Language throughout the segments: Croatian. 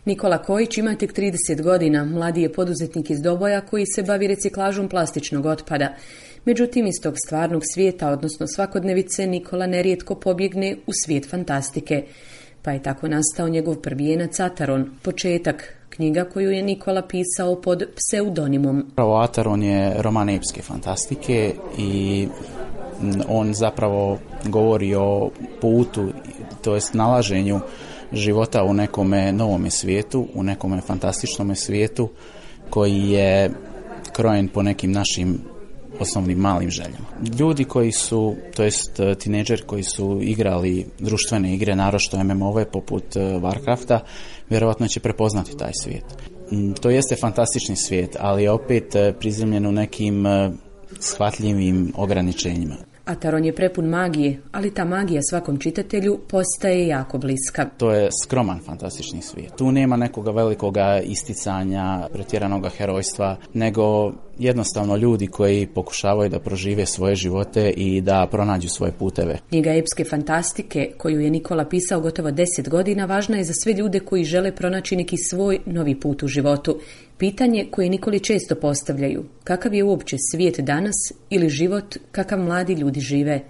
Nikola Kojić ima tek 30 godina, mladi je poduzetnik iz Doboja koji se bavi reciklažom plastičnog otpada. Međutim, iz tog stvarnog svijeta, odnosno svakodnevice, Nikola nerijetko pobjegne u svijet fantastike. Pa je tako nastao njegov prvijenac Ataron, početak, knjiga koju je Nikola pisao pod pseudonimom. Ataron je roman epske fantastike i on zapravo govori o putu, to jest nalaženju života u nekome novome svijetu, u nekome fantastičnome svijetu koji je krojen po nekim našim osnovnim malim željama. Ljudi koji su, to jest tinejdžeri koji su igrali društvene igre, naročito MMO-ve poput Warcrafta, vjerojatno će prepoznati taj svijet. To jeste fantastični svijet, ali je opet prizemljen u nekim shvatljivim ograničenjima. Ataron je prepun magije, ali ta magija svakom čitatelju postaje jako bliska. To je skroman fantastični svijet. Tu nema nekoga velikoga isticanja, pretjeranoga herojstva, nego jednostavno ljudi koji pokušavaju da prožive svoje živote i da pronađu svoje puteve. Knjiga epske fantastike, koju je Nikola pisao gotovo 10 godina, važna je za sve ljude koji žele pronaći neki svoj novi put u životu. Pitanje koje Nikoli često postavljaju, kakav je uopće svijet danas ili život kakav mladi ljudi žive?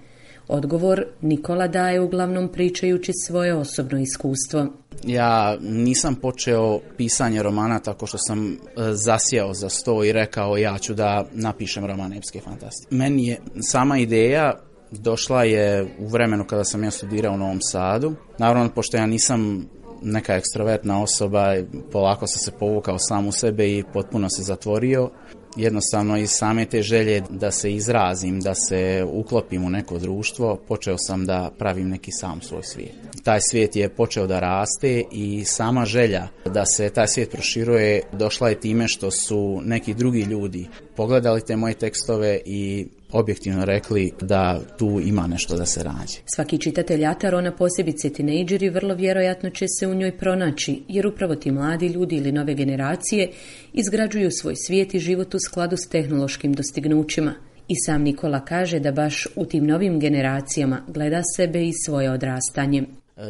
Odgovor Nikola daje uglavnom pričajući svoje osobno iskustvo. Ja nisam počeo pisanje romana tako što sam zasjeo za sto i rekao ja ću da napišem roman epske fantastike. Meni je sama ideja došla je u vremenu kada sam ja studirao u Novom Sadu. Naravno, pošto ja nisam neka ekstrovertna osoba, polako sam se povukao sam u sebe i potpuno se zatvorio. Jednostavno iz same te želje da se izrazim, da se uklopim u neko društvo, počeo sam da pravim neki sam svoj svijet. Taj svijet je počeo da raste i sama želja da se taj svijet proširuje došla je time što su neki drugi ljudi pogledali te moje tekstove i objektivno rekli da tu ima nešto da se nađe. Svaki čitatelj Atarona, posebice tinejdžeri, vrlo vjerojatno će se u njoj pronaći, jer upravo ti mladi ljudi ili nove generacije izgrađuju svoj svijet i život u skladu s tehnološkim dostignućima. I sam Nikola kaže da baš u tim novim generacijama gleda sebe i svoje odrastanje.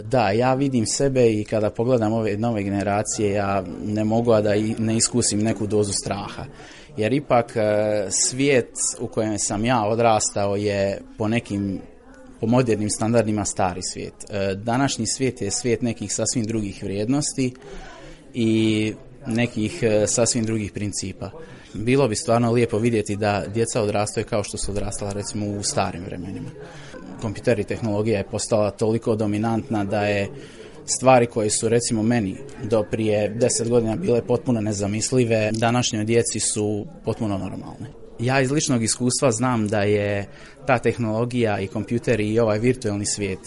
Da, ja vidim sebe i kada pogledam ove nove generacije, ja ne mogu da ne iskusim neku dozu straha. Jer ipak svijet u kojem sam ja odrastao je po modernim standardima stari svijet. Današnji svijet je svijet nekih sasvim drugih vrijednosti i nekih sasvim drugih principa. Bilo bi stvarno lijepo vidjeti da djeca odrastaju kao što su odrastala recimo u starim vremenima. Kompjuter i tehnologija je postala toliko dominantna da je stvari koje su recimo meni do prije 10 godina bile potpuno nezamislive, današnjoj djeci su potpuno normalne. Ja iz ličnog iskustva znam da je ta tehnologija i kompjuteri i ovaj virtualni svijet,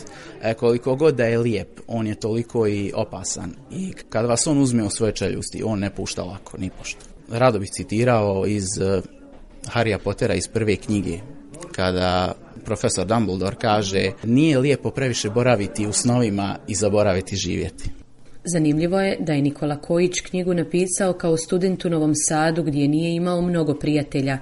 koliko god da je lijep, on je toliko i opasan. I kad vas on uzme u svoje čeljusti, on ne pušta lako, ni pošto. Rado bih citirao iz Harrya Pottera iz prve knjige, kada profesor Dumbledore kaže: nije lijepo previše boraviti u snovima i zaboraviti živjeti. Zanimljivo je da je Nikola Kojić knjigu napisao kao student u Novom Sadu gdje nije imao mnogo prijatelja.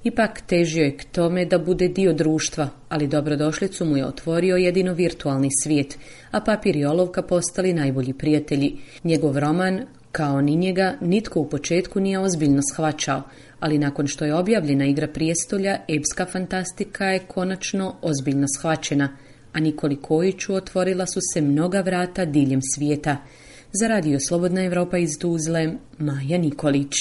Ipak težio je k tome da bude dio društva, ali dobrodošlicu mu je otvorio jedino virtualni svijet, a papir i olovka postali najbolji prijatelji. Njegov roman, kao ni njega, nitko u početku nije ozbiljno shvaćao, ali nakon što je objavljena Igra prijestolja, epska fantastika je konačno ozbiljno shvaćena, a Nikoli Kojiću otvorila su se mnoga vrata diljem svijeta. Za Radio Slobodna Evropa iz Tuzle, Maja Nikolić.